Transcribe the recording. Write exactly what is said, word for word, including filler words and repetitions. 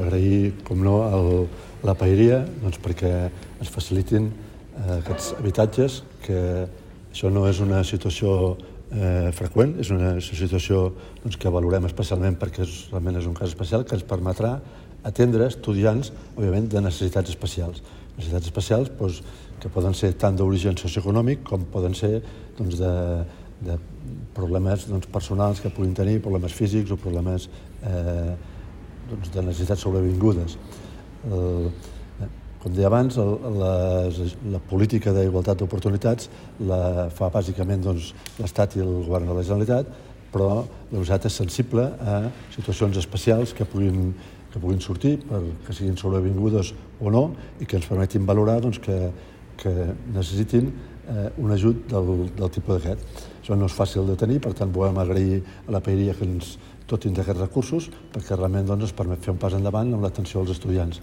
Agrair, com no, el, la paeria doncs, perquè ens facilitin eh, aquests habitatges, que això no és una situació eh, freqüent, és una situació doncs, que valorem especialment perquè és, realment és un cas especial que ens permetrà atendre estudiants, òbviament, de necessitats especials. Necessitats especials doncs, que poden ser tant d'origen socioeconòmic com poden ser doncs, de, de problemes doncs, personals que puguin tenir, problemes físics o problemes eh, doncs, de necessitats sobrevingudes. El, com deia abans, el, les, la política d'igualtat d'oportunitats la fa bàsicament doncs, l'Estat i el Govern de la Generalitat, però la Generalitat és sensible a situacions especials que puguin, que puguin sortir, per, que siguin sobrevingudes o no, i que ens permetin valorar doncs, que, que necessitin eh, un ajut del, del tipus d'aquest. Això no és fàcil de tenir, per tant volem agrair a la paeria que ens dotin d'aquests recursos perquè realment doncs, ens permet fer un pas endavant en l'atenció als estudiants.